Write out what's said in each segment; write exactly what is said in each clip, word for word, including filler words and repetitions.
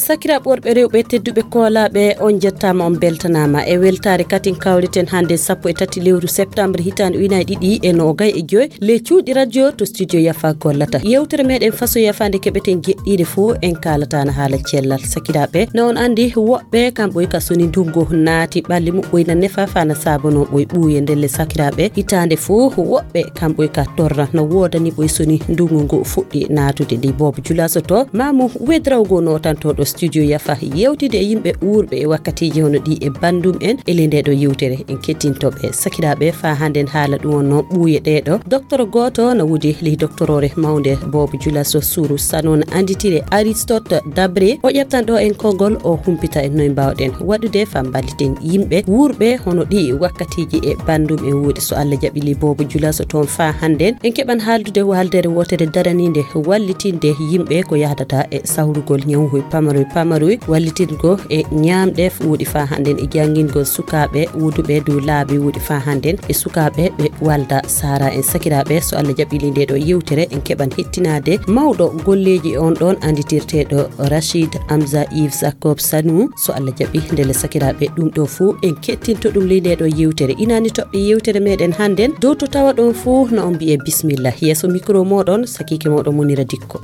Sakiraaɓe worɓe, rewɓe tedduɓe, koolaaɓe, on njettaama, on mbeltanaama. E weltaare katin kawriten hannde sappo e tati lewru septembre hitaande ujunaaji ɗiɗi e noogay e joy, le cuuɗi radio to studio Yafa gollata. Yewtere meɗen faso Yafa nde keɓeten jeɗɗiiɗe fof, en kaalataana haala cellal. Sakiraaɓe, na on anndi, woɓɓe kam ɓoy ka soni ndungu naati, ɓalli muɓɓoy na nefa faa na saabonoo ɓoy ɓuuye. Ndelle sakiraaɓe, hitaande fof woɓɓe kam ɓoy ka torra, na woodani ɓoy soni ndungu ngu fuɗɗi naatude. Ndi boobo julaso to maamu wedrawgo nootantooɗo studio Yafa yewtide e yimɓe wuurɓe e wakkatiiji hono ɗi e banndum en e ley nde ɗo yewtere. En kettinto ɓe. Sakiraaɓe, faa hannden haala ɗum wonno ɓuuye ɗee ɗo. Docteur gooto na wudi ley doctoroore mawnde boobo julaso Suru Sano na annditire Aristote Dabré. O ƴeftan ɗo en konngol, o humpita en noy mbaawɗen waɗude faa mballiten yimɓe wuurɓe hono ɗi wakkatiiji e banndum en wuuɗi. So Allah jaɓi ley boobo julaso toon faa hannden, en keɓan haaldude waaldere wootere daraniinde wallitinde yimɓe ko yahdata e sawrugol ñawuhoy pamaroy pamaroy, wallitingo e ñaamɗe wuuɗi faa hannden e janngingol sukaaɓe wuduɓe dow laabi wuuɗi faa hannden e sukaaɓe ɓe walda saara en. Sakiraaɓe, so Allah jaɓi ley nde ɗo yewtere, en keɓan hettinaade mawɗo golleeji on ɗon annditirteeɗo Rachid Hamza Yves Jacob Sanu. So Allah jaɓi, ndelle sakiraaɓe, ɗum ɗo fof en kettinto ɗum ley nde ɗo yewtere. Inaani toɓɓe yewtere meɗen hannden dow to tawa ɗon fof, na on mbiye bismillah. Yeeso micro moɗon, sakiike moɗon Munira Dikko.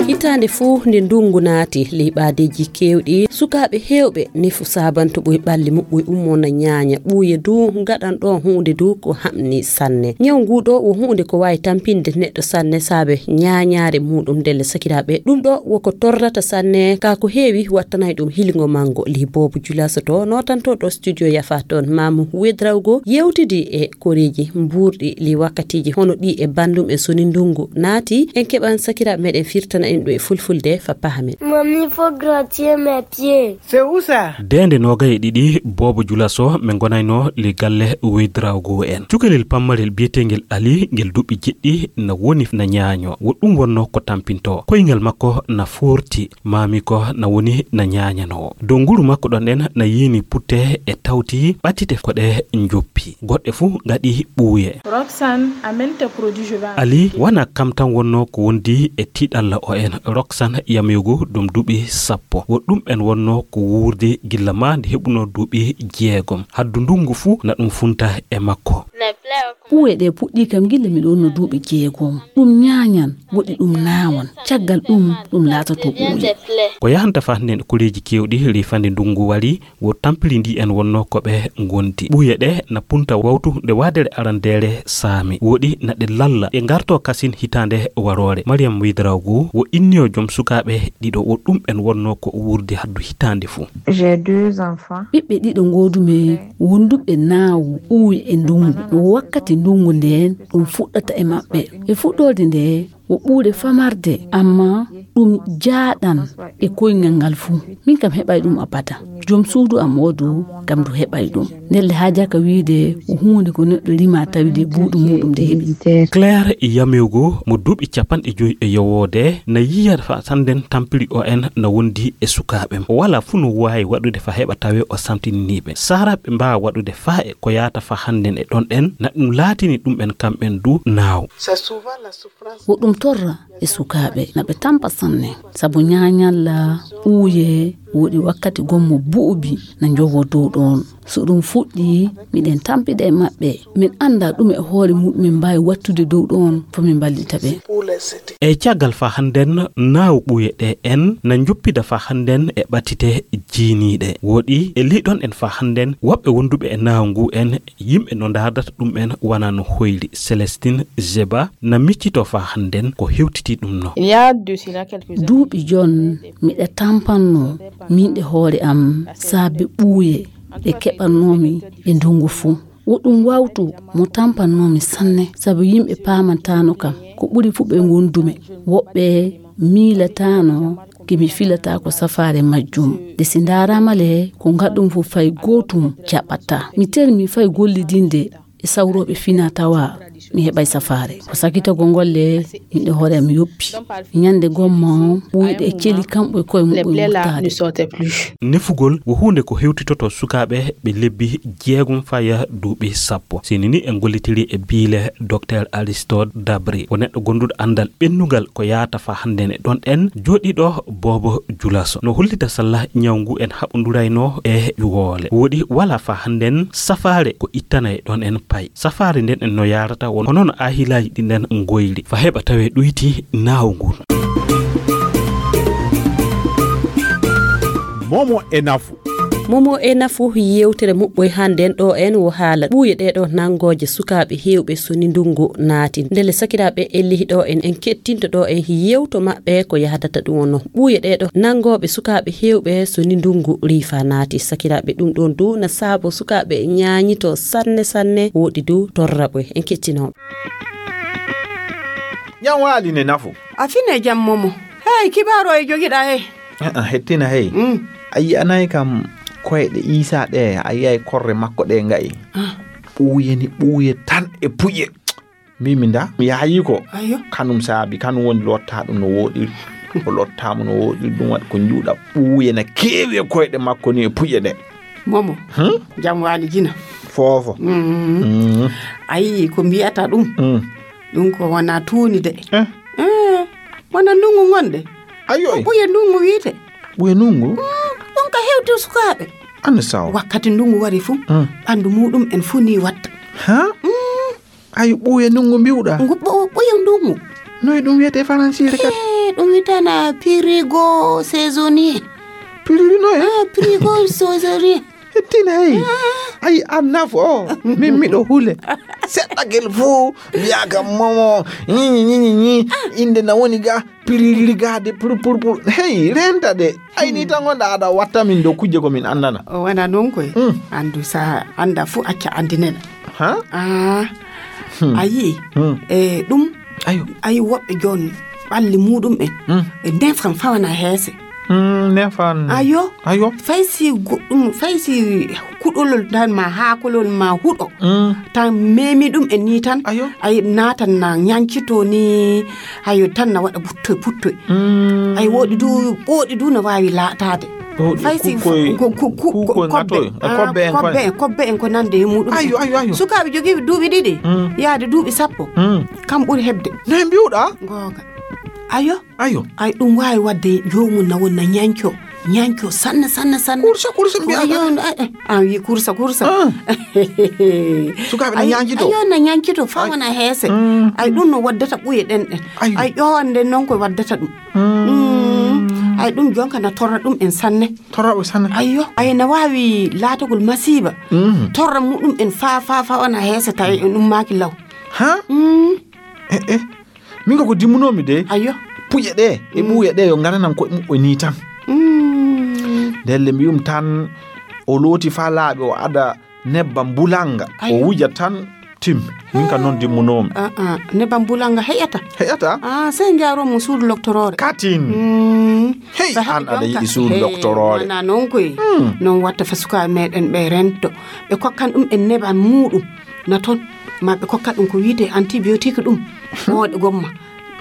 Hitaande fof nde ndungu naati, ley ɓaadeeji keewɗi, sukaaɓe heewɓe nefu saabanto ɓoy ɓalli muɓɓoy ummo na ñaaña. Ɓuuye du ngaɗan ɗo huunde du ko hamni sanne. Ñaw ngu ɗo wo huunde ko waawi tampinde neɗɗo sanne saabe ñaañaare muɗum. Ndelle sakiraaɓe, ɗum ɗo wo ko torrata sanne, ka ko heewi wattanay ɗum hilingo mango. Ley boobo julaso to nootantooɗo studio Yafa toon maamu wedrawgo yewtidi e koreeji mbuurɗi ley wakkatiiji hono ɗi e banndum en soni ndungu naati. En keɓan sakiraaɓe meɗen firtana en ɗum e fulfulde fa pahamen. Mommy, faut grattuer mes pieds. C'est où ça? Deende noogay e ɗiɗi boobo julaso, min ngonayno ley galle wedrawgo en. Cukalel pammarel biyeteengel Ali, ngel duuɓi jeɗɗi, na woni na ñaaño. Wo ɗum wonno ko tampinto. Koyngal makko na foorti, maami ko na woni na ñaañanoo. Dow nguru makko ɗon en na yiini putte e tawti ɓattite ko ɗe njoppi. Goɗɗe fuu ngaɗi ɓuuye. Roxane, amène tes produits, je vais. Ali, wana kam tan wonno ko wondi e tiiɗalla o en. Roxane Yamego, ɗum duuɓi sappo. Wo ɗum en wonno ko wuurde gilla ma nde heɓuno duuɓi jeegom. Haddu ndungu fuu na ɗum funta e makko. Ɓuuye ɗe puɗɗi kam gilla miɗo wonno duuɓi jeegom. Ɗum ñaañan, woɗi ɗum naawan. Caggal ɗum, ɗum laatoto ɓuuye. Ko yahanta faa hannden koreeji keewɗi, ley fande ndungu wari, wo tampiri ndi en wonno ko ɓe ngondi. Ɓuuye ɗe na punta wawtu nde waadere arandeere saami. Woɗi na ɗe lalla, ɗe ngarto kasin hitaande waroore. Mariam Widrago wo inniyo joom sukaaɓe ɗiɗo, wo ɗum en wonno ko wuurde haddu hitaande fuu. J'ai deux enfants. Ɓiɓɓe ɗiɗo ngoodumi, wonduɓe naawu ɓuuye e ndungu. Wo wakkati ndungu ndeen ɗum fuɗɗata e maɓɓe. E fuɗɗoode nde, wo ɓuuɗe famarde, amma ɗum jaaɗan e koyngal ngal fuu. Min kam heɓay ɗum abada. Joom suudu am oo du, kam du heɓay ɗum. Ndelle haajaka wiide wo huunde ko neɗɗo rima tawi de buuɗu muuɗum de heɓi. Claire Yamego, mo duuɓi capanɗe joy e yowoode, na yiya fa sanden tampiri o en na wondi e sukaaɓe. O wala fuu no waawi waɗude fa heɓa tawe o samtinini ɓe. Sara ɓe mbaawa waɗude fa e ko yaata fa hannden e ɗon ɗen, na ɗum laatini ɗum en kamɓen du naaw. Wo ɗum torra e sukaaɓe, na ɓe tampa sanne. Sabu ñaañalla ɓuuye woɗi wakkati gommo buubi na njowo dow ɗon. So ɗum fuɗɗi, miɗen tampida e maɓɓe. Min annda ɗume e hoore muɗum min mbaawi wattude dow ɗon, fo min mballita ɓe. E caggal fa hannden naaw ɓuuye ɗe en na njoppida fa hannden e ɓattite jiiniiɗe. Woɗi e liɗon en fa hannden woɓɓe wonduɓe e naaw ngu en, yimɓe no ndaardata ɗum en wana no hoyri. Célestine Zeba na miccito fa hannden ko hewtiti ɗum no. Il y a de cela quelques années. Duuɓi jon miɗa tampanno min e hoore am saabe ɓuuye ɗe keɓannoomi e ndungu fuu. Wo ɗum wawtu mo tampannoomi sanne, sabu yimɓe paamantaano kam. Ko ɓuri fuu ɓe ngondumi. Woɓɓe miilataano ki mi filata ko safaare majjum. De si ndaaraama le, ko ngaɗum fuu fay gootum jaɓataa. Mi termi fay gollidinde e sawrooɓe fina tawa mi heɓay safaare. Ko sakitagol ngol le, min ɗo hoore am yoppi. Ñande gomma on, ɓuyɗe e celi kamɓe e koye muɓɓen wurtaade. Nefugol ko huunde ko hewtitoto sukaaɓe ɓe lebbi jeegom faya duuɓi sappo. Sini ni en gollitiri e biile Docteur Aristote Dabri, ko neɗɗo gonduɗo anndal ɓennungal ko yaata fa hannden e ɗon en jooɗiɗo boobo julaso. No hollita salla ñaw ngu en haɓondurayno e ƴuwoole. Woɗi wala fa hannden safaare ko ittanay ɗon en pay. Safaare nden en no yaarata won, ko noon ahilaaji ɗi nden ngoyri. Fa heɓa tawe ɗuyti naawo ngun. Momo e nafu. Momo e nafu yewtere muɓɓoy hannden ɗo en wo haala ɓuuye ɗee ɗo nanngooje sukaaɓe heewɓe so ni ndunngu naati. Ndelle sakiraaɓe e lihi ɗo en, en kettinto ɗo en yewto maɓɓe ko yahdata ɗum wonno. Ɓuuye ɗee ɗo nanngooɓe sukaaɓe heewɓe so ni ndunngu riifa naati. Sakiraaɓe ɗum ɗon du na saabo sukaaɓe ñaañito sanne sanne woɗi du torraɓe. En kettinoo. Jam waali ne nafu. A fine jam momo. Hey, kibaro e jogiɗa he. Ah, hettina hey. Mm. A yi'anay kam koyɗe Iisaa ɗe, a yi'ay korre makko ɗe nga'i. Ah. Ɓuuye ni ɓuuye tan e puƴe. Mimi nda, mi yaayi ko. Ayo. Kanum saabi, kanum woni lotta ɗum no woɗi. O lotta mo no woɗi ɗum waɗi ko njuuɗa ɓuuye na keewi e koyɗe makko ni e puƴe ɗe. Momo. Hmm? Jam waali jina. Foofo. Mm. Mm. Ayi ko mbiyata ɗum. Mm. Ɗum ko wona tuuni de. Eh? Eh, wona ndungu ngonde. Ayo. Ko ɓuye ndungu wiyte. Ɓuye ndungu? Mm, ɗum ka hewti sukaaɓe. Anne saw. Wakkati ndungu wari fu, mm, ɓandu muɗum en fu ni watta. Ha? Mm. Ayo ɓuye ndungu mbiwɗa? Ngu ɓu-, ɓuye ndungu. Noy ɗum wiyete faransiire kadi? Eh, ɗum witana pirigo saisonnier. Piriri noy? Ah, pirigo saisonnier. Hettina hey. Ah. Ay, an nafo o. Min miɗo hule. Seɗɗa gel fuu mbiya kam momo. Ñiñi, ñiñi, ñi. Inde na woni ga. Piriri ga de, pur, pur, pur. Hey, renta de. Ay, ni tan wonɗa aɗa watta min dow kujje ko min anndana. O wona noon koy. Mm. Anndu sa annda fuu acca anndinena. Ha? Ah. Hmm. A yi'i? Hmm. E ɗum. Ayo. Ayi woɓɓe jooni ɓalli muɗum en. Hmm. E ndefan fawana heese. Hmm, ndefan. Ayo. Ayo. Fay si goɗɗum, fay si kuɗolol tan ma haakolol ma huɗo. Hmm. Tan memi ɗum en ni tan. Ayo. Ayi naatan na ñancito ni. Ayo tan na waɗa buttoy puttoy. Mm. Ay woɗi du, ɓooɗi du no waawi laataade. Ɓooɗi fay si kukkoy, ko, ko, ku-, kukkoy ko kobbe. Ŋatoy, e ah, kobbe en kobbe koye. En, kobbe en ko nande e muɗum. Ayo, ayo, ayo. Sukaaɓe jogiiɓe duuɓi ɗiɗi, mm, yaade duuɓi sappo. Mm. Kam ɓuri heɓde. No ɓe mbiwɗa? Googa. Ayo. Ayo. Ay ɗum waawi waɗde joomum na won na ñañco. Ñañco sanne, sanne, sanne. Kursa, kursa mbiya. Ayo, ay, ay, an wi kursa, kursa. Ah. Sukaaɓe na ñañcito. Ayo, na ñañcito, fa wona heese. Mm. Ay ɗum no waddata ɓuye ɗen ɗen. Ayo. Ay ƴowan nden noon ko waddata ɗum. Mm. Mm. Ay ɗum jonka na torra ɗum en sanne. Torra o sanne. Ayo, ay na waawi laatagol masiiba. Mm. Torra muɗum en fa, fa, fa wona heese tawi en ummaaki law. Ha? Mm. Eh, eh. Min ko ko dimmunoomi de. Ayo. Puƴe ɗe, e mm, ɓuuye ɗe, yo ngaranan koye muɓɓe ni tan. Mm. Ndelle mbiyum tan, o looti fa laaɓi, o ada nebbam bulanga, ayo, o wuja tan, timmi. Min ka noon dimmunoomi. Ah, ah. Nebbam bulanga heƴata? Heƴata? Ah, sey njaaroo mo suudu loktoroore. Katin. Mm. Hey, an aɗa yiɗi suudu loktoroore. Wona noon koy. Mm. Noon watta fa sukaaɓe meɗen ɓe rento. Ɓe kokkan ɗum en nebbam muɗum. Na toon, ma ɓe kokka ɗum ko wiyetee antibiotique ɗum. Ɓooɗe gomma.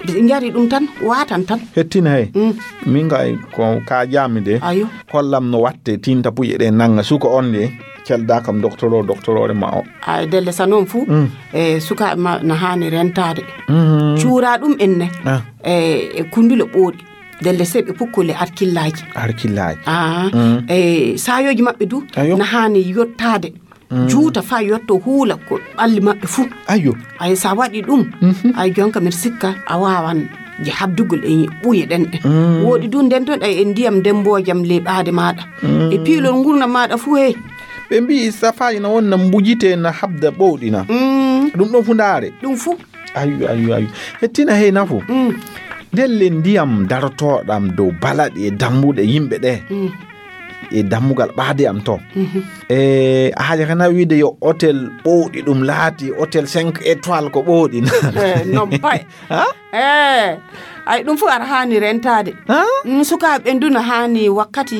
Ɓe njari ɗum tan, waatan tan. Hettina hey. Mm. Min kay ko ka jaami de. Ayo. Kollam no watte tinta puƴe ɗe nanga suka on de. Celda kam doktoro, doktoroore ma o. Ay, ndelle sa noon fu, mm, e sukaaɓe ma na haani rentaade. Mhm. Cuura ɗum en ne. Ah. E, e kundule ɓooɗi. Ndelle se ɓe pukkole arkillaaji. Arkillaaji. Ah, mm, e saayooji maɓɓe du, ayo, na haani yottaade. Mm. Juuta fa yotto huula ko ɓalli maɓɓe fuu. Ayo. Ay, sa waɗi ɗum, mhm, ay, jonka mbiɗa sikka a waawan je habdugol e ɓuye ɗen ɗen. Mm. Woɗi du nden ton ay e ndiyam ndemboojam ley ɓaade maaɗa. Mm. E piilol ngurnam maaɗa fuu hey. Ɓe mbi'i safaaji na won na mbujite na habda ɓowɗina. Mm. Ɗum ɗon fu ndaare. Ɗum fuu. Ayo, ayo, ayo. Hettina hey nafu. Mm. Ndelle ndiyam darotooɗam dow balaɗe e dambuɗe yimɓe ɗe. Mm. e dammugal ɓaade am to. E a haajaka na wiide yo hôtel ɓowɗi ɗum laati hôtel cinq étoiles ko ɓowɗi na? Eh, non pay. Ha? Eh, ay ɗum fof aɗa haani rentaade. Ha? Mm, sukaaɓe ɓen du na haani wakkati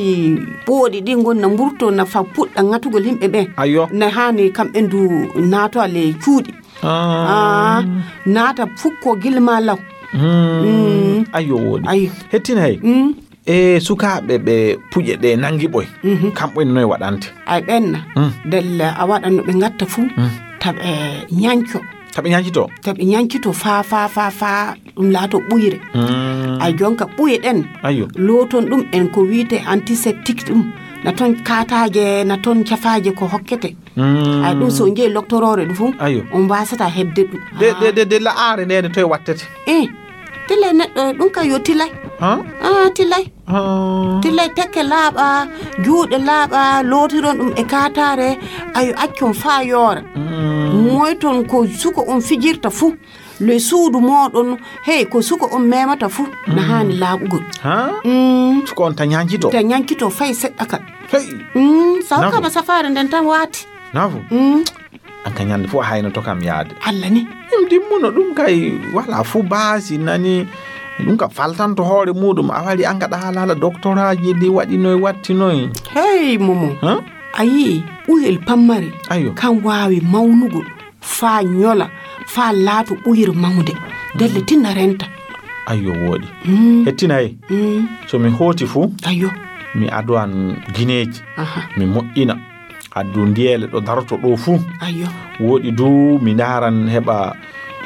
ɓooɗi ɗi ngon na mburto na fa puɗɗa ŋatugol yimɓe ɓen. Ayo. Na haani kamɓe du naato ale cuuɗi. Ah. Ah, naata fukko gilma law. Mm. Ayo wooɗi. Ayo. Hettinay. Mm. E sukaaɓe ɓe puƴe ɗe nangi ɓoy. Mhm. Kamɓe noy waɗante? Ay ɓenna. Mm. Della a waɗa no ɓe ngatta fuu. Mm. Taɓe ñanco. Taɓe ñancito? Taɓe ñancito faa, faa, faa, faa ɗum laato ɓuyre. Mm. Ay jonka ɓuye ɗen. Ayo. Looton ɗum en ko wiite antiseptique ɗum. Na ton kaataaje, na ton cafaaje ko hokkete. Mm. Ay ɗum so njeyi loktoroore ɗum fuu. Ayo. On mbasata heɓde ɗum. De, de, de, de la'aare nde, nde toye wattete? Eh, tilay neɗɗo, ɗum ka yo tilay. Ha? Ah, tilay. Ah. Tilay tekke laaɓa, juuɗe laaɓa, lootiron ɗum e kaataare, ayo accon faa yoora. Mm. Moyton ko suko on fijirta fuu. Le suudu mooɗon, hey, ko suko on memata fuu, na Mm. haani laaɓugol. Ha? Mm. Suko on ta ñancito? Ta ñancito fay seɗɗa kal. Hey. Mm, saw Nafo. Kaba safaare nden tan waati. Nafo? Mm. An ka ñande fof a haynoto kam yaade. Allah ni. Ɗum dimmuno ɗum kay wala fuu baasi nani. Ɗum ka faltanto hoore muɗum a wari an gaɗa haalala doctoraji ɗi waɗi noy watti noy. Hey, Momo. Ha? A yii ɓuyel pammari. Ayo. Kan waawi mawnugol faa ñola, faa laato ɓuyir mawnde. Delle tinna renta. Ayo wooɗi. Mm. Hettina hey. Mm. So mi hooti fuu. Ayo. Mi adowan gineeji. Aha. Mi moƴƴina. Addu ndiyeele ɗo daroto ɗo fuu. Ayo. Wooɗi du mi ndaaran heɓa,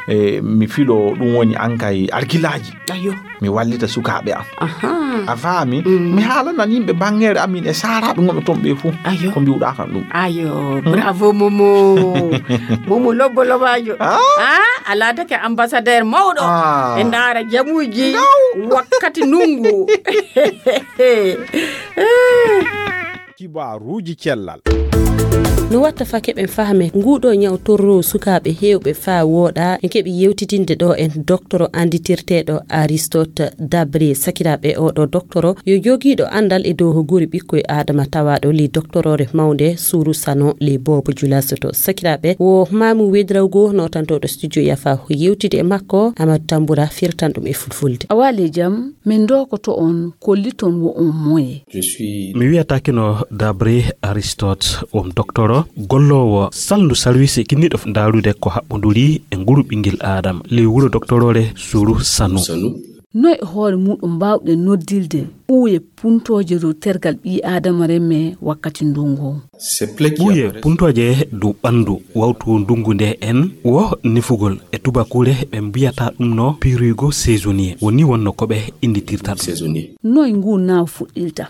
e, mi filo ɗum woni ankay alkilaaji. Ayo. Mi wallita sukaaɓe am. Aha. A faami? Mm. Mi haalanan yimɓe bangeere amin e saaraaɓe ngonɓe toon ɓe fuu. Ayo. Ko mbiwɗaa kam ɗum. Ayo, hmm? Bravo, Momo. Momo lobbo lobaajo. Ah? Ah, a laatake ambassadeur mawɗo. Ah. E ndaara jamuuji wakkati ndunngu. Kibaaruuji cellal. No watta faa keɓen fahme nguuɗo ñaw torro sukaaɓe heewɓe faa wooɗa, en keɓi yewtitinde ɗo en doktoro annditirteeɗo Aristote Dabré. Sakiraaɓe, oɗo doktoro yo jogiiɗo anndal e dow ko guri ɓikkoy Aadama tawaaɗo ley doktoroore mawnde Suuru Sano ley Boobo Julasoto. Sakiraaɓe, wo Maamu Wedrawgo nootantooɗo studio yafa yewtide e makko, Amadou Tambura firtan ɗum e fulfulde. A waali e jam, min ndookoto on, kolliton wo on moye. Mi wiyataake no Dabré Aristote, won doktoro, golloowo salndu sarwiisi kinniiɗo ndaarude ko haɓɓonduri e nguru ɓinngel Aadama, ley wuro doktoroore Suuru Sanu. Noy e hoore muɗum mbaawɗen noddilde ɓuuye puntooje dow tergal ɓii Aadama remme wakkati ndungu? Ɓuuye puntooje dow ɓanndu wawtu ndungu nde en wo nefugol. E tubakuure ɓe mbiyata ɗum no prurigo saisonnier. Woni wonno ko ɓe innditirta ɗum. Noy ngu naaw fuɗɗirta?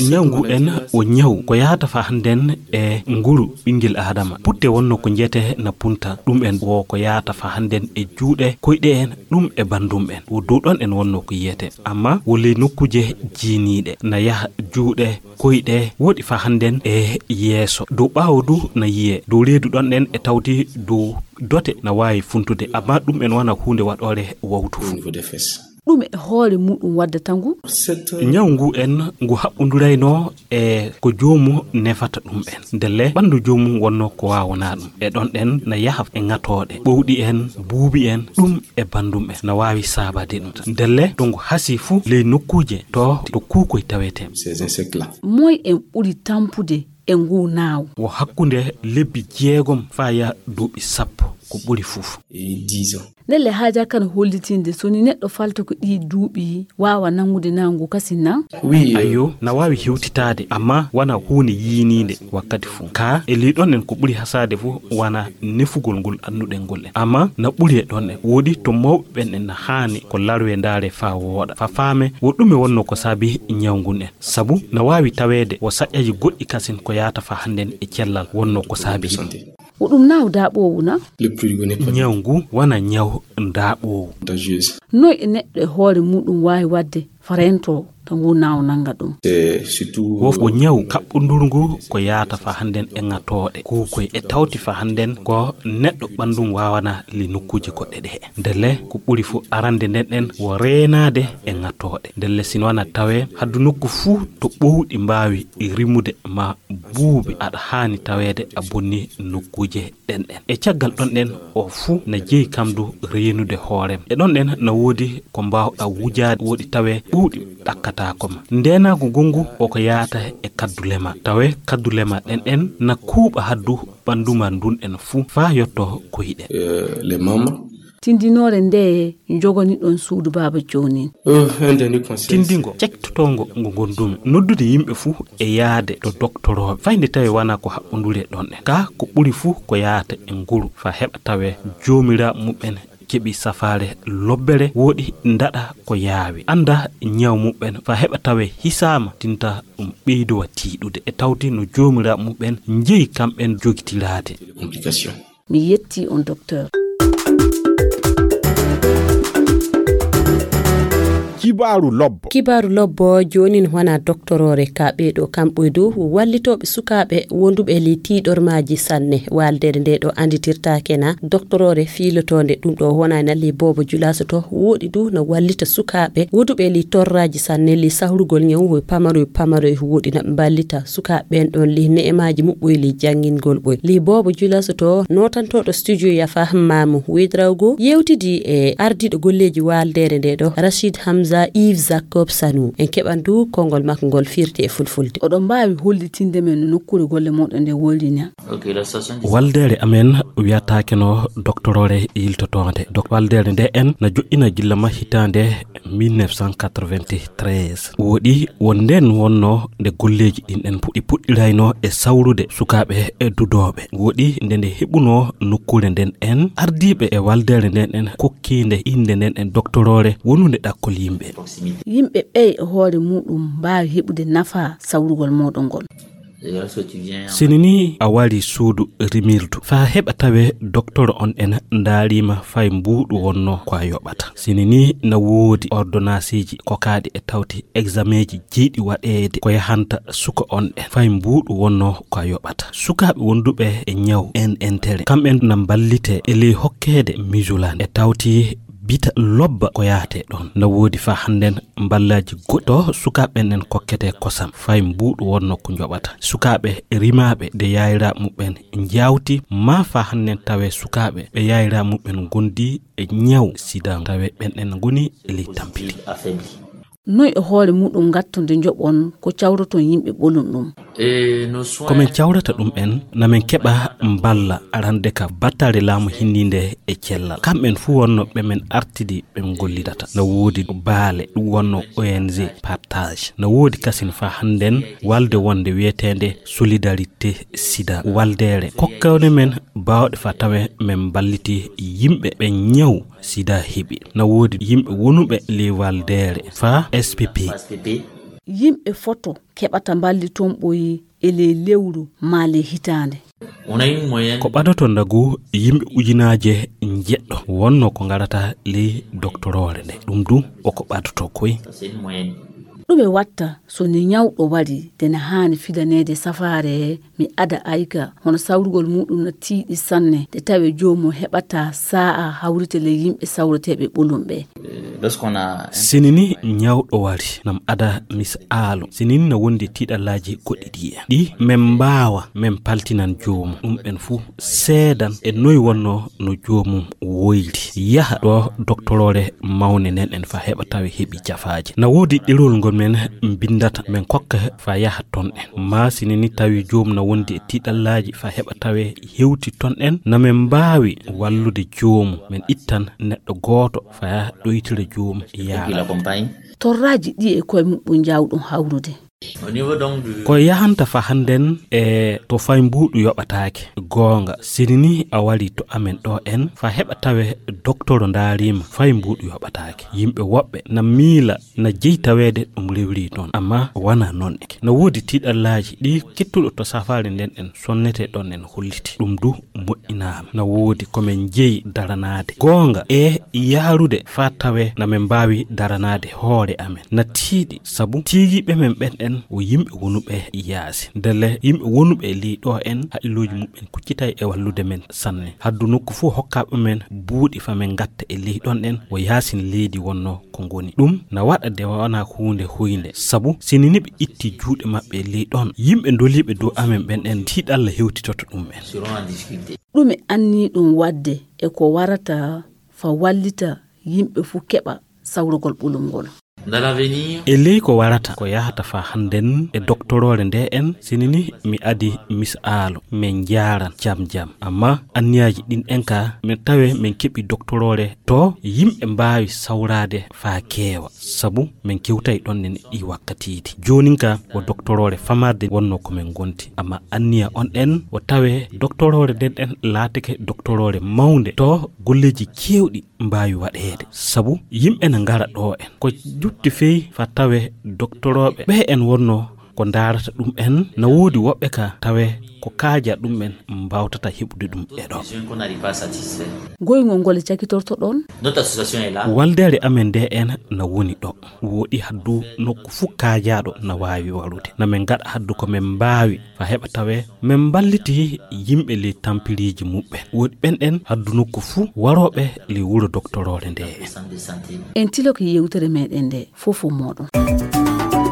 Ñaw ngu en wo ñaw ko yahata faa hannden e nguru ɓinngel Aadama. Putte wonno ko njiyete na punta ɗum en wo ko yahata faa hannden e juuɗe, koyɗe en, ɗum e banndum en. Wo dow ɗon en wonno ko yiyete. Amma wo ley nokkuuje jiiniiɗe na yaha juuɗe, koyɗe, woɗi faa hannden e yeeso. Dow ɓaawo du na yiyee. Dow reedu ɗon en e tawti dow dote na waawi funtude. Amma ɗum en wana huunde waɗoore wawtu. Ɗum e hoore muɗum waddata ngu? Ñaw ngu en ngu haɓɓonduraynoo e ko joomu nefata ɗum en. Ndelle ɓanndu joomum wonno ko waawanaa ɗum. E ɗon ɗen na yaha e ŋatooɗe, ɓowɗi en, buubi en, ɗum e banndum en na waawi saabade ɗum. Ndelle to ngu hasii fuu ley nokkuuje to, to kuukoy tawetee. Moy en ɓuri tampude e ngu naaw? Wo hakkunde lebbi jeegom faa yaha duuɓi sappo ko ɓuri fuf. Ndelle haajaa kan hollitinde so ni neɗɗo falta ko ɗii duuɓi waawa nanngude naaw ngu kasin na? Ayyo, na waawi hewtitaade, amma wana huunde yiiniinde wakkati fuu. Kaa e ley ɗon en ko ɓuri hasaade fuu wana nefugol ngol annduɗen ngol en. Amma na ɓuri e ɗon en. Woodi to mawɓe ɓen en na haani ko larwee ndaaree faa wooɗa, faa faamee wo ɗume wonno ko saabi ñaw ngun en. Sabu na waawi taweede wo saƴƴaji goɗɗi kasin ko yahata faa hannden e cellal wonno ko saabi ɗum. Wo ɗum naaw daaɓoowu na? Ñaw ngu wana ñaw daaɓoowu. Noy e neɗɗo e hoore muɗum waawi waɗde faa rentoo to ngu naaw nannga ɗum. Wof ko ñaw kaɓɓunduru ngu ko yaata fa hannden e ŋatooɗe. Kuukoy e tawti fa hannden ko neɗɗo ɓanndum waawana li nokkuuje goɗɗe ɗe. Ndelle ko ɓuri fu arande nden ɗen wo reenaade e ŋatooɗe. Ndelle sino wana tawee haddu nokku fuu to ɓowɗi mbaawi rimude ma buubi aɗa haani taweede a bonni nokkuuje ɗen ɗen. E caggal ɗon ɗen o fuu na jeyi kam du reenude hoorem. E ɗon ɗen na woodi ko mbaawɗa wujaade woɗi tawee ɓuuɗi ɗakkataako ma. Ndeenaagu gongu o ko yaata e kaddule ma. Tawee kaddule ma ɗen ɗen na kuuɓa haddu ɓandu ma ndun ɗen fuu faa yotto koyɗe. Tindinoore ndeye njogani ɗon suudu baaba joonin? Tindingo cektotoongo ngo ngondumi. Noddude yimɓe fuu e yaade to doktorooɓe. Fay nde tawi wanaa ko haɓɓundure ɗon ɗen. Kaa ko ɓuri fuu ko yaata e nguru faa heɓa tawee joomiraaɓe muɓɓen keɓi safaare lobbere woɗi ndaɗa ko yaawi. Annda ñaw muɓɓen faa heɓa tawee hisaama tinta ɗum ɓeydowa tiiɗude. E tawti no joomiraaɓe muɓɓen njeyi kamɓen jogitiraade. Mi yetti on, docteur. Kibaaru lobbo. Kibaaru lobbo joonin wona doktoroore ka ɓeeɗo kamɓe dow wallitooɓe sukaaɓe wonduɓe li tiiɗormaaji sanne. Waldere nde ɗo anditirtaake na doktoroore fiilotoonde ɗum ɗo wona na li boobo julasoto woɗi du na wallita sukaaɓe wonduɓe li torraaji sanne li sahrugol ñaw pamaroy pamaroy woɗi na mballita sukaaɓe ɓen ɗon li ne'emaaji muɓɓoy li janngingol ɓoy. Li boobo julasoto nootantooɗo studio yafa maamu wedrawgo yewtidi e ardiiɗo golleeji waldere nde ɗo rachid hamza yves jacob sanu en keɓan du konngol makko ngol firti e fulfulde. Oɗon mbaawi hollitinde men no nokkuure golle mooɗon nde wollini? Waldere amen wiyataake no doktoroore yiltotoonde. Dok- waldere nde en na joɗɗina gilla ma hitaande mille neuf cent quatre-vingt-treize. Woɗi won nden wonno nde golleeji ɗin ɗen puɗɗi puɗɗirayno e sawrude sukaaɓe e dudooɓe. Woɗi nde nde heɓuno nokkuure nden en ardiiɓe e waldere nden en kokkiinde innde nden en doktoroore wonunde ɗakkol yimɓe. Yimɓe ɓey e hoore muɗum mbaawi heɓude nafa sawrugol mooɗon ngol. Sini ni a wari suudu rimirdu faa heɓa tawe doktoro on en ndaarima fay mbuuɗu wonno ko a yoɓata. Sini ni na woodi ordonnanceeji kokaaɗi e tawti examenji jeyɗi waɗeede ko yahanta suka on en fay mbuuɗu wonno ko a yoɓata. Sukaaɓe wonduɓe e ñaw en entere kamɓen na mballite e ley hokkeede misulan e tawti bita lobba ko yaate ɗon. Na woodi faa hannden mballaaji goɗɗo sukaaɓe ɓen en kokkete kosam fay mbuuɗu wonno ko njoɓata. Sukaaɓe rimaaɓe nde yaayiraaɓe muɓɓen njawti maa faa hannden tawe sukaaɓe ɓe yaayiraaɓe muɓɓen ngondi e ñaw sida tawe ɓen en ngoni e ley tampiti. Noy e hoore muɗum ngattonde njoɓon ko cawroton yimɓe ɓolum ɗum? Ko men cawrata ɗum en na men keɓa mballa arande ka battare laamu hinniinde e cellal. Kamɓen fuu wonno ɓe men artidi ɓe gollidata. Na woodi baale ɗum wonno O N G partage. Na woodi kasin faa hannden walde wonde wiyeteende solidarité sida. Waldere kokkawde men baawɗe faa tawe men mballiti yimɓe ɓe ñaw sida heɓi. Na woodi yimɓe wonuɓe ley waldere faa S P P. Yimɓe foto keɓata mballiton ɓoyi e ley lewru maa ley hitaande. Ko ɓadoto ndagu yimɓe ujunaaje njeɗɗo wonno ko ngarata ley doktoroore nde. Ɗum du o ko ɓadoto koy. Ɗume watta so ni ñawɗo wari de na haani fidaneede safaare mi ada ayga hono sawrugol muɗum na tiiɗi sanne de tawe joomum heɓata saa'a hawrite ley yimɓe sawreteeɓe ɓolum ɓe? Sini ni ñawɗo wari nam ada mis aalo sini ni na wondi tiiɗallaaji goɗɗi ɗi en ɗi men mbaawa men paltinan joomum ɗum ɓen fuu seedan e noy wonno no joomum woyri yaha ɗo doktoroore mawne nden en faa heɓa tawi heɓi jafaaji. Na woodi ɗerol ngol men mbindata men kokka faa yaha ton en maa sini ni tawi joomum na wondi e tiiɗallaaji faa heɓa tawe hewti ton en na men mbaawi wallude joomum men ittan neɗɗo gooto faa ɗoytira joomum yaara. Torraaji ɗi e koye muɓɓum njaawɗum hawrude. Ko yahanta fa hannden e to fay mbuuɗu yoɓataake. Goonga, sini ni a wari to amen ɗo en, fa heɓa tawe doktoro ndaariima fay mbuuɗu yoɓataake. Yimɓe woɓɓe na miila na jeyi taweede ɗum rewri toon, amma wona noon. Eke na woodi tiiɗallaaji ɗi kettuɗo to safaare nden en sonnete ɗon en holliti. Ɗum du moƴƴinaama. Na woodi ko men jeyi daranaade. Goonga e yaarude faa tawe na men mbaawi daranaade hoore amen. Na tiiɗi sabu tiigiiɓe men ɓen en wo yimɓe wonuɓe yaasi. Ndelle yimɓe wonuɓe e ley ɗo en haqqillooji muɓɓen kuccitay e wallude men sanne. Haddu nokku fuu hokkaaɓe men buuɗi fa men ngatta e ley ɗon en wo yaasin leydi wonnoo ko ngoni. Ɗum na waɗa de wona huunde huynde, sabu sini ni ɓe itti juuɗe maɓɓe e ley ɗon, yimɓe doliiɓe dow amen ɓen en tiiɗalla hewtitoto ɗum en. Ɗume anniiɗon waɗde e ko warata fa wallita yimɓe fuu keɓa sawrugol ɓulum ngol? E ley ko warata, ko yahata fa hannden e doktoroore nde en, sini ni mi adi misaalu, men njaaran jam jam. Amma anniyaaji ɗin en ka, men tawe men keɓi doktoroore to yimɓe mbaawi sawraade fa keewa, sabu men kewtay ɗon en ɗi wakkatiiji. Joonin ka wo doktoroore famarde wonnoo ko men ngonti, amma anniya on en wo tawe doktoroore nden en laatake doktoroore mawnde to golleeji keewɗi mbaawi waɗeede. Sabu yimɓe na ngara ɗo en. Ko jutti fey fa tawe doktorooɓe ɓe en wonnoo ko ndaarata ɗum en, na woodi woɓɓe ka tawe ko kaaja ɗum en mbaawtata heɓude ɗum e ɗo. Goyngol ngol e cakitorto ɗon? Waldeere amen nde en na woni ɗo. Woɗi haddu nokku fuu kaajaaɗo na waawi warude. Na men ngaɗa haddu ko men mbaawi fa heɓa tawe men mballiti yimɓe ley tampiriiji muɓɓen. Woɗi ɓen ɗen haddu nokku fuu warooɓe ley wuro doktoroore nde. En tiloke yewtere meɗen nde fof mooɗon.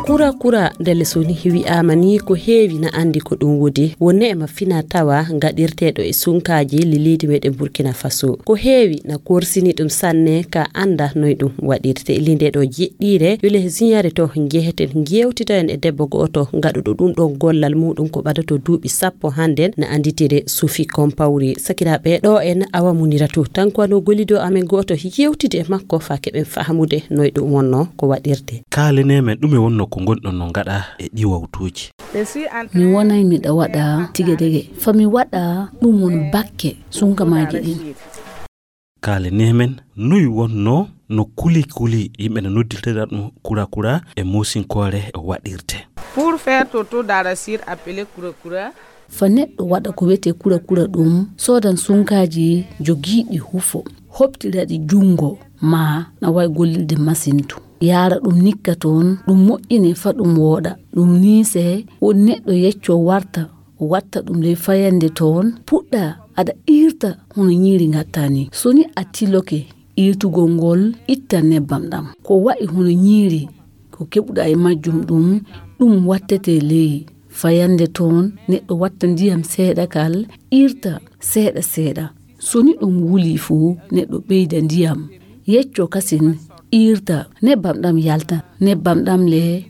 Kura kura ndelle so ni wi'aama ni ko heewi na anndi ko ɗum wodi. Wo neema fina tawa ngaɗirteeɗo e sunkaaji li leydi meɗen Burkina Faso. Ko heewi na korsini ɗum sanne ka annda noy ɗum waɗirte. Li nde ɗo jeɗɗiire yo le ziñare to njeheten ngewtita en e debbo go'oto ngaɗuɗo ɗum ɗon gollal muɗum ko ɓadato duuɓi sappo hannden na annditire Sufi Kompawri. Sakiraaɓe ɗo en awa munira to tanko ano gollido amen go'oto yewtide e makko fa keɓen fahamude noy ɗum wonno ko waɗirte. Kaalenee men ɗume wonno ko ngonɗon no ngaɗa e ɗi wawtuuji. Mi wonay miɗa waɗa tigadege fa mi waɗa ɗum won bakke sunkamaaji ɗin. Kaalenee men noy wonno no kuli kuli yimɓe no noddirtira ɗum kura kura e mosinkoore waɗirte. Pour faire toto d'arachide appelé kura kura. Fa neɗɗo waɗa ko wiyetee kura kura ɗum soodan sunkaaji jogiiɗi hufo, hoɓtira ɗi junngo ma na wawi gollirde masintu. Yaara ɗum nikka toon, ɗum moƴƴine fa ɗum wooɗa, ɗum niise, woni neɗɗo yecco warta, watta ɗum ley fayannde toon, puɗɗa aɗa iirta hono ñiiri ngatta ni. So ni a tiloke iirtugol ngol, itta nebbam ɗam. Ko wa'i hono ñiiri, ko keɓuɗa e majjum ɗum, ɗum wattete ley fayannde toon, neɗɗo watta ndiyam seeɗa kal, iirta seeɗa seeɗa. So ni ɗum wuli fuu, neɗɗo ɓeyda ndiyam, yecco kasin, iirta, nebbam ɗam yalta, nebbam ɗam le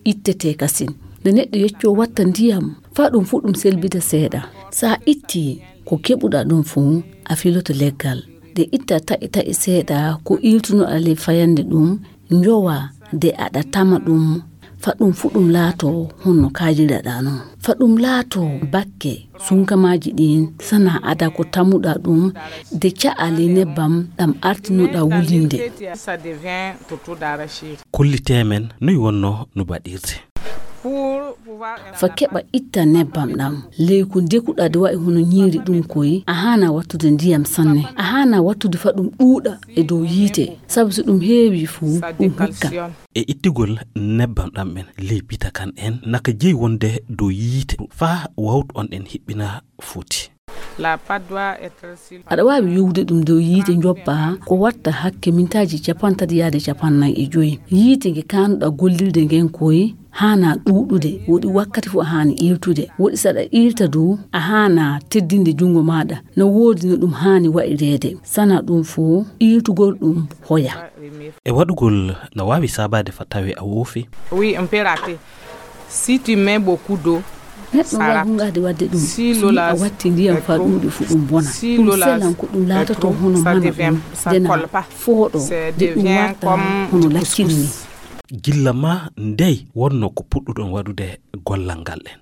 ittete kasin. Nde neɗɗo yecco watta ndiyam, faa ɗum fuu ɗum selbita seeɗa. So a itti ko keɓuɗa ɗum fuu, a filoto leggal. Nde itta taƴe taƴe seeɗa ko iirtunoɗa ley fayannde ɗum, njowa nde aɗa tama ɗum, fa ɗum fuu ɗum laato honno kaajiraɗa noon. Fa ɗum laato bakke sunkamaaji ɗin, sana ada ko tamuɗa ɗum, de ca'a ley nebbam ɗam artinoɗa wulinde. Kollitee men noy wonno no baɗirte. Fa keɓa itta nebbam ɗam, ley ko dekuɗa de wa'i hono ñiiri ɗum koy, a haana wattude ndiyam sanne. A haana wattude fa ɗum ɗuuɗa e dow yiite, sabu so ɗum heewi fuu, ɗum hukkan. E ittugol nebbam ɗam ɓen ley bitakan en, naka jeyi wonde dow yiite faa wawtu on en hiɓɓina foti. Aɗa waawi yowde ɗum dow yiite njoppa ko watta hakke mintaaji capantati yaade capannay e joyi. Yiite nge kaanuɗa gollirde ngen koy haana ɗuuɗude, woɗi wakkati fof a haani iirtude. Woɗi so aɗa iirta dow, a haana teddinde junngo maaɗa. No woodi no ɗum haani wa'ireede. Sana ɗum fof, iirtugol ɗum hoya. E waɗugol no waawi saabaade fa tawi a woofi. Oui, on peut rater. Si tu mets beaucoup d'eau, neɗɗo waawi hungaade waɗde ɗum. Si a watti ndiyam faa ɗuuɗi fu ɗum bona. Ɗum selan ko ɗum laatoto hono mana ɗum, dena fooɗo, de ɗum warta hono lacciri ni. Gilla ma ndey wonno ko puɗɗuɗon waɗude gollal ngal en.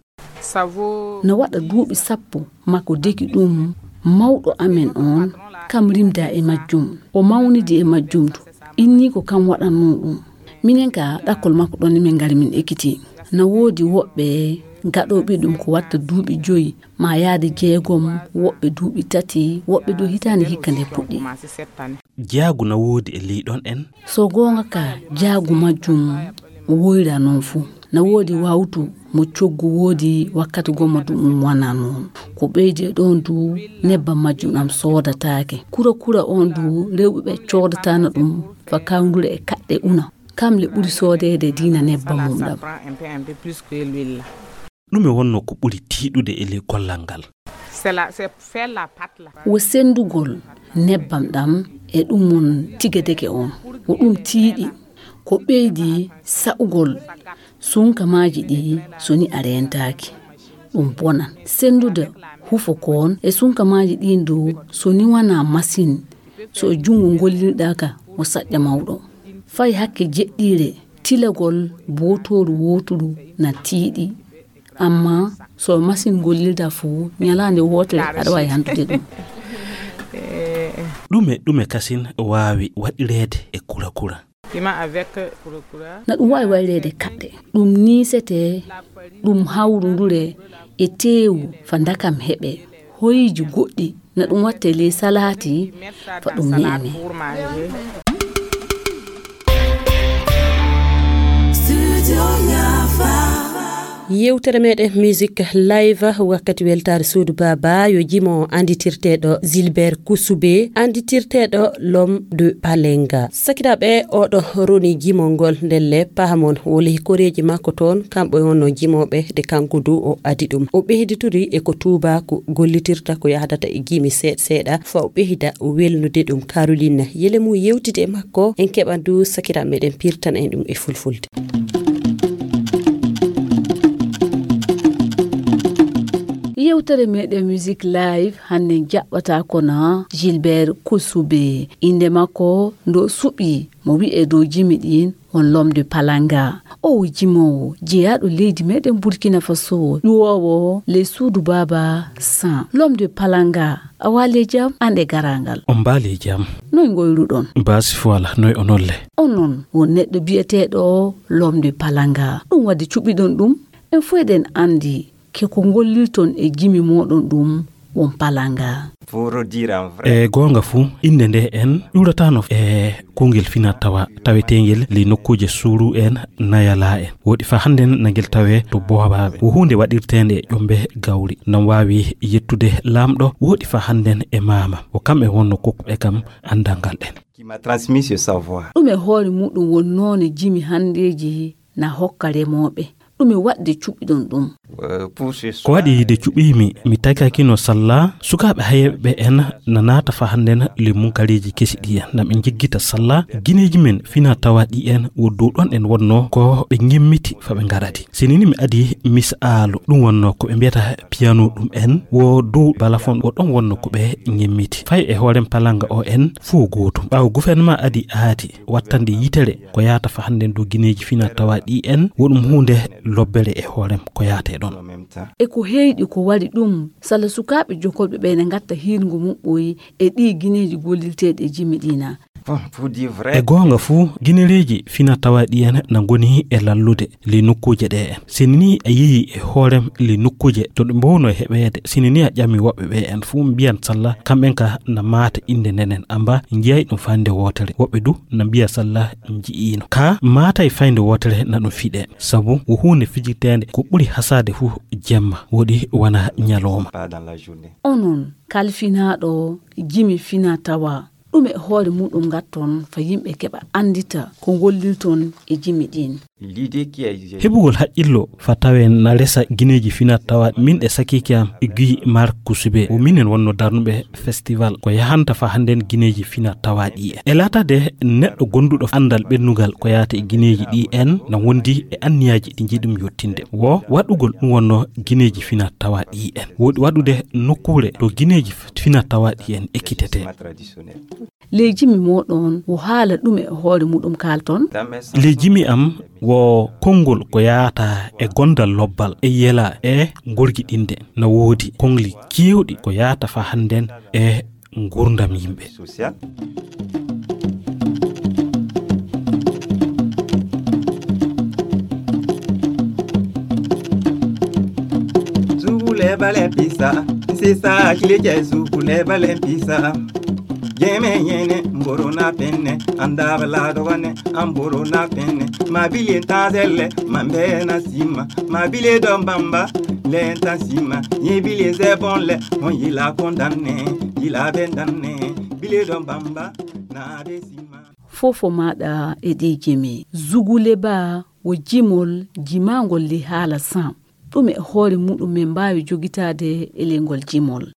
No waɗa duuɓi sappo, makko deki ɗum mawɗo amen on, kam rimda e majjum, o mawnidi e majjum du, inni ko kam waɗannoo ɗum. Minen ka ɗakkol makko ɗon min ngari min ekiti. Na woodi woɓɓe gaɗooɓe ɗum ko watta duuɓi joyi, ma yaade jeegom, woɓɓe duuɓi tati, woɓɓe du hitaande hikka nde puɗɗi. Jaagu na woodi e ley ɗon en. So goonga ka, jaagu majjum woyra noon fuu. Na woodi wawtu mo coggu woodi wakkati gomma du ɗum wana noon. Ko ɓeydi e ɗon du nebbam majjum ɗam soodataake. Kura kura on du rewɓe ɓe coodatana ɗum fa kawndure e kaɗɗe una. Kam le ɓuri soodeede diina nebbam mum ɗam. Ɗume wonno ko ɓuri tiiɗude e ley gollal ngal? Wo sendugol nebbam ɗam e ɗum mon tigadege on. Wo ɗum tiiɗi. Ko ɓeydi sa'ugol sunkamaaji ɗi so ni a reentaaki. Ɗum bonan. Sendude hufo kon e sunkamaaji ɗin du so ni wana masin. So e junngo gollirɗa ka, wo saƴƴa mawɗo. Fay hakke jeɗɗiire, tilagol bootooru wooturu na tiiɗi. Amma so masin gollirda fuu, ñalaande wootere aɗa waawi hantude ɗum. Ɗume, ɗume kasin waawi waɗireede e kura kura? Na ɗum waawi wayreede kaɗɗe. Ɗum niisetee, ɗum hawrundure e teewu fa ndakam heɓee. Hoyiiji goɗɗi na ɗum wattee ley salaati fa ɗum ni'imee. Yewtere meɗen Music Live, wakkati weltaare suudu baaba, yo jimo annditirteeɗo Gilbert Kusube, annditirteeɗo L'homme de Palenga. Sakiraaɓe, oɗo roni jimol ngol ndelle pahamon woli koreeji makko toon, kamɓe wonno jimooɓe de kanko du o adi ɗum. O ɓeyditiri e ko tuubaaku gollitirta ko yahdata e jimi seeɗa seeɗa, fa o ɓeyda welnude ɗum. Caroline Yelemu yewtidi e makko, en keɓan du sakiraaɓe meɗen pirtana en ɗum e fulfulde. Yewtere meɗen Music Live hannde jaɓɓata kono Gilbert Kusube. Innde makko ndo suɓi mo wi'e dow jimi ɗin on L'homme de Palanga. O jimoowo jeyaaɗo leydi meɗen Burkina Faso, ƴuwoowo ley suudu baaba San. L'homme de Palanga, a waali e jam, an e garaangal. On mbaali e jam. Noy ngoyruɗon? Baasi fuwala, noy onolle? Onon won neɗɗo biyeteeɗo L'homme de Palanga. Ɗum wadde cuɓiɗon ɗum? En fof eɗen anndi ke ko ngollirton e jimi mooɗon ɗum won palanga. E goonga fuu, innde nde en ƴuuratano e kongel fina tawa taweteengel ley nokkuuje suuru en, nayala en. Woɗi fa hannden na ngel tawee to boobaaɓe. Wo huunde waɗirteende e ƴombe gawri. Nan waawi yettude laamɗo, woɗi fa hannden e maama. Wo kamɓe wonno kokkuɓe kam anndal ngal en. Ɗum e hoore muɗum won noone jimi hanndeeji na hokka remooɓe. Ɗume waɗde cuɓiɗon ɗum? Ko waɗi de cuɓiimi, mi tagakino salla sukaaɓe hayɓe en na naata fa hannden le munkareeji kesi ɗi en. Na ɓe njiggita salla gineeji men fina tawa ɗi en wo dow ɗon en wonno ko ɓe ngemmiti fa ɓe ngaradi. Sinini mi adi misaalu, ɗum wonno ko ɓe mbiyata piano ɗum en wo dow balafon wo ɗon wonno ko ɓe ngemmiti. Fay e hoorem palanga o en fuu gootum. Ɓaawo gouvernement adi aati wattande yitere ko yaata fa hannden dow gineeji fina tawa ɗi en, wo ɗum huunde lobbere e hoorem ko yaate ɗon. E ko heyɗi ko wari ɗum, sala sukaaɓe jokolɓe ɓe ne ngatta hiirngu muɓɓoyi e ɗi gineeji gollirteeɗi e jimi ɗi na. E goonga fuu, ginereeji fina tawa ɗi en na ngoni e lallude ley nokkuuje ɗe en. Sinini a yehi e hoorem ley nokkuuje to ɗe mbowno heɓeede, sinini a ƴami woɓɓe ɓe en fuu mbiyan salla kamɓen ka na maata innde nden en amba njiyay ɗum fayde wootere. Woɓɓe du na mbiya salla nji'iino. Ka maatay fayde wootere na ɗum fiɗe. Sabu wo huunde fijirteende ko ɓuri hasaade fuu jemma woɗi wana ñalooma. Onon kalfinaaɗo jimi fina tawa, ɗume hoore muɗum ngatton fa yimɓe keɓa anndita ko ngollirton e jimi ɗin? Heɓugol haqqillo fa tawe na resa gineeji fina tawa min e sakiike am Guy Marc Kusube, wo minen wonno darnuɓe festival ko yahanta fa hannden gineeji fina tawa ɗi en. E laatade neɗɗo gonduɗo anndal ɓennugal ko yaata e gineeji ɗi en na wondi e anniyaaji ɗi njiɗum yottinde. Wo waɗugol ɗum wonno gineeji fina tawa ɗi en. Woɗi waɗude nokkuure to gineeji fina tawa ɗi en ekkitetee. Ley jimi mooɗon, wo haala ɗume e hoore muɗum kaalton? Ley jimi am, wo konngol ko yaata e gondal lobbal, e yela, e gorgiɗinde. Na woodi koŋli keewɗi ko yaata faa hannden e nguurndam yimɓe. Zugule bale pisa, sisa kilikɛ zugule bale pisa. Jeme yene mboro na penne, andaba la dogane, amboro na penne. Ma bile tazelle, ma mbena sima. Ma bile don bamba, lenta sima. Ye bile zebonle, on yila kondanne, yila bendanne. Bile don bamba, na be sima. Fofo maɗa e ɗi jimi. Zugule ba wo jimol jimangol li haala sam. Ɗum e hoore muɗum men mbaawi jogitaade e ley ngol jimol.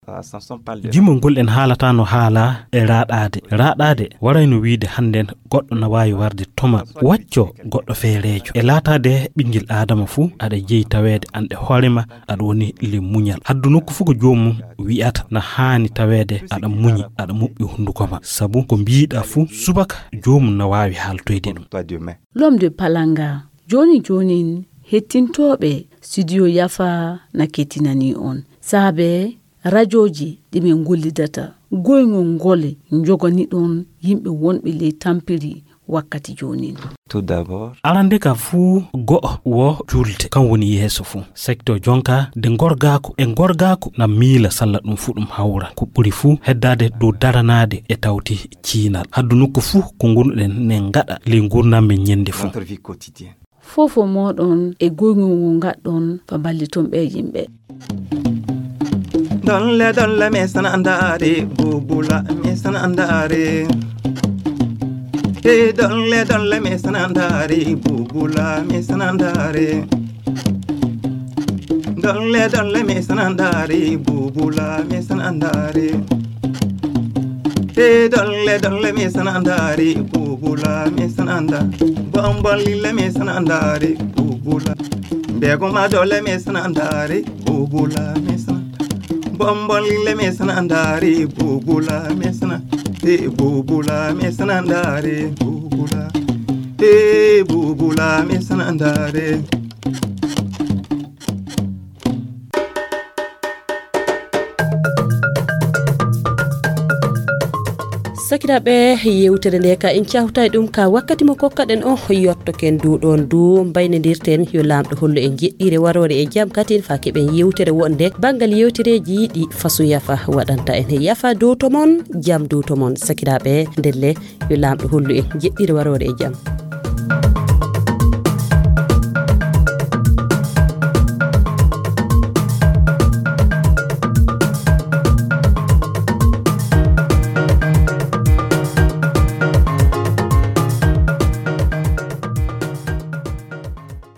Jimol ngol en haalata no haala e raaɗaade. Raaɗaade warayno wiide hannden goɗɗo na waawi warde toma wacco goɗɗo feereejo. E laataade ɓinngel Aadama fuu, aɗa jeyi taweede an e hoore ma, aɗa woni le muñal. Haddu nokku fuu ko joomum wi'ata na haani taweede aɗa muñi, aɗa muɓɓi hunnduko ma. Sabu ko mbiiɗa fuu subaka joomum na waawi haaltoyde ɗum. L'homme de Palanga. Jooni joonin, hettintooɓe studio Yafa na kettinanii on. Saabe rajooji ɗi min ngollidata, goyngol ngol njogani ɗon yimɓe wonɓe ley tampiri wakkati joonin. Tout d'abord. Arande ka fuu go'o wo juulde, kan woni yeeso fuu. Sekto jonka nde ngorgaaku e ngorgaaku na miila salla ɗum fuu ɗum hawra. Ko ɓuri fuu heddaade dow daranaade e tawti ciinal. Haddu nokku fuu ko ngonɗen ne ngaɗa ley ngurndan men ñande fuu. Notre vie quotidienne. Fofo mooɗon e goyngol ngol ngaɗɗon fa balliton ɓe yimɓe. Dolle, dolle, me sana andare, bubula, me sana andare. Hey, dolle, dolle, me sana andare, bubula, me sana andare. Dolle, dolle, me sana andare, bubula, me sana andare. Hey, dolle, dolle, me sana andare, bubula, me sana anda. Bombon lille, me sana andare, bubula. Begoma dolle, me sana andare, bubula, me sana. Bombon lille, me sana andare, bubula, me sana. Hey, bubula, me sana andare, bubula. Hey, bubula, me sana andare. Sakiraaɓe, yewtere nde ka en cawtay ɗum ka wakkati mo kokkaɗen on, yottoken du ɗon du mbaynodirten. Yo Laamɗo hollu en jeɗɗire waroore e jam katin fa keɓen yewtere wonde banngal yewtereeji ɗi fasu Yafa waɗanta en. Yafa dow to mon, jam dow to mon. Sakiraaɓe, ndelle yo Laamɗo hollu en jeɗɗire waroore e jam.